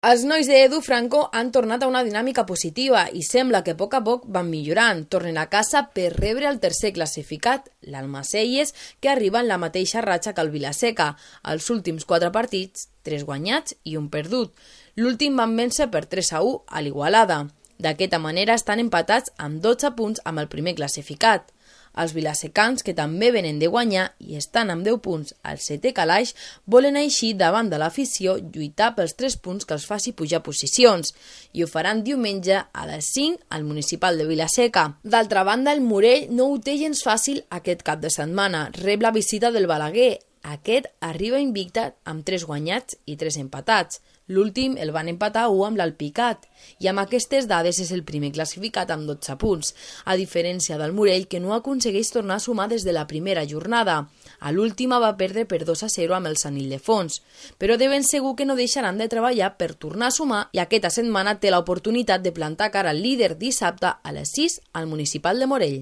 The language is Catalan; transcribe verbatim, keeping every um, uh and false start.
Els nois d'Edu Franco han tornat a una dinàmica positiva i sembla que a poc a poc van millorant. Tornen a casa per rebre el tercer classificat, l'Almacelles, que arriba en la mateixa ratxa que el Vilaseca. Els últims quatre partits, tres guanyats i un perdut. L'últim van vèncer per tres a u a l'Igualada. D'aquesta manera estan empatats amb dotze punts amb el primer classificat. Els vilasecans, que també venen de guanyar i estan amb deu punts al setè calaix, volen així davant de l'afició lluitar pels tres punts que els faci pujar posicions i ho faran diumenge a les cinc al municipal de Vilaseca. D'altra banda, el Morell no ho té gens fàcil aquest cap de setmana. Rep la visita del Balaguer. Aquest arriba invicte amb tres guanyats i tres empatats. L'últim el van empatar a u amb l'Alpicat i amb aquestes dades és el primer classificat amb dotze punts, a diferència del Morell, que no aconsegueix tornar a sumar des de la primera jornada. A l'última va perdre per dos a zero amb el Sant Ildefons, però de ben segur que no deixaran de treballar per tornar a sumar i aquesta setmana té l'oportunitat de plantar cara al líder dissabte a les sis al municipal de Morell.